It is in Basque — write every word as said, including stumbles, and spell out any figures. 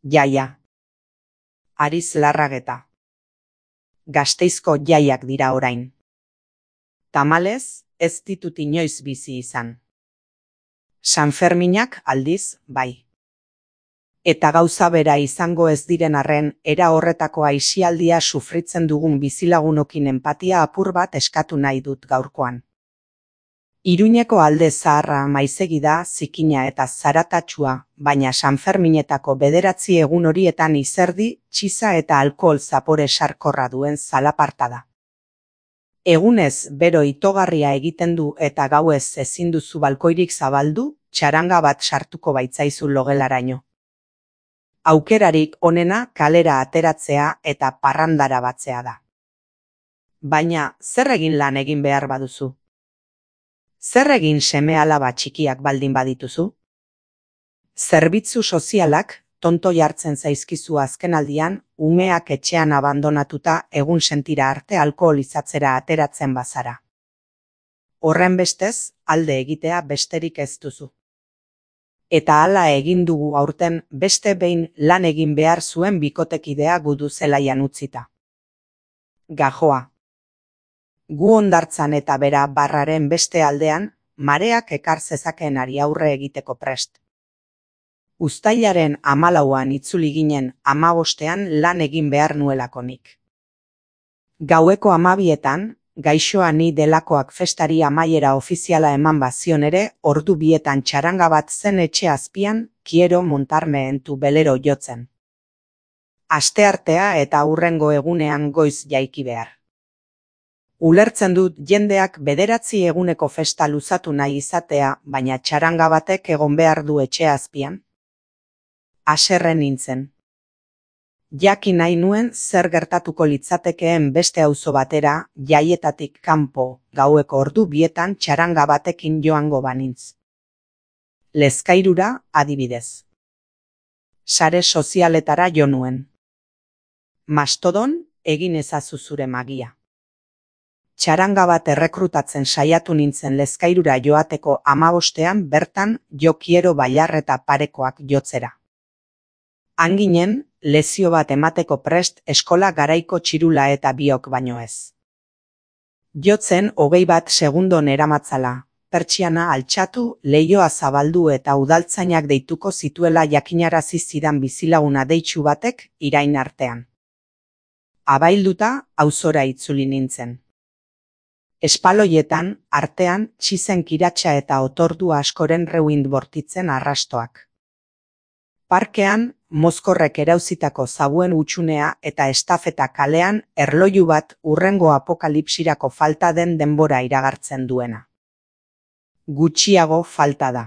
Jaia. Ariz Larrageta. Gasteizko jaiak dira orain. Tamalez, ez ditut inoiz bizi izan. Sanferminak aldiz, bai. Eta gauza bera izango ez diren arren, era horretako aisialdia sufritzen dugun bizilagunokin enpatia apur bat eskatu nahi dut gaurkoan. Iruñeko alde zaharra maizegi da, zikina eta zaratatsua, baina Sanferminetako bederatzi egun horietan izerdi, txiza eta alkohol zapore sarkorra duen zalaparta da. Egunez bero itogarria egiten du eta gauez ezin duzu balkoirik zabaldu, txaranga bat sartuko baitzaizu logelaraino. Aukerarik onena kalera ateratzea eta parrandara batzea da. Baina, zer egin lan egin behar baduzu? Zer egin seme-alaba txikiak baldin badituzu? Zerbitzu sozialak tonto jartzen zaizkizu azkenaldian, umeak etxean abandonatuta egun sentira arte alkoholizatzera ateratzen bazara. Horrenbestez, alde egitea besterik ez duzu. Eta hala egin dugu aurten beste behin lan egin behar zuen bikotekidea gudu zelaian utzita. Gajoa. Gu hondartzan eta bera barraren beste aldean, mareak ekar zezakeenari aurre egiteko prest. Uztailaren hamalauan itzuli ginen hamabostean lan egin behar nuelakonik. Gaueko hamabietan, gaixoa ni delakoak festari amaiera ofiziala eman bazion ere, ordu bietan txaranga bat zen etxe azpian, quiero montarme en tu velero jotzen. Asteartea eta hurrengo egunean goiz jaiki behar. Ulertzen dut jendeak bederatzi eguneko festa luzatu nahi izatea, baina txaranga batek egon behar du etxe azpian. Haserre nintzen. Jakin nahi nuen zer gertatuko litzatekeen beste auzo batera, jaietatik kanpo, gaueko ordu bietan txaranga batekin joango banintz. Lezkairura, adibidez. Sare sozialetara jo nuen. Mastodon, egin ezazu zure magia. Txaranga bat errekrutatzen saiatu nintzen Lezkairura joateko hamabostean bertan jo quiero bailar eta parekoak jotzera. Hanginen, lezio bat emateko prest eskola garaiko txirula eta biok baino ez. Jotzen hogei bat segundon eramatzala, pertsiana altxatu, leihoa zabaldu eta udaltzainak deituko zituela jakinarazi zidan bizilaguna deitsu batek irain artean. Abailduta, auzora itzuli nintzen. Espaloietan, artean, txizen kiratxa eta otordu askoren reuind bortitzen arrastoak. Parkean, mozkorrek erauzitako zabuen utxunea eta estafeta kalean erloju bat hurrengo apokalipsirako falta den denbora iragartzen duena. Gutxiago falta da.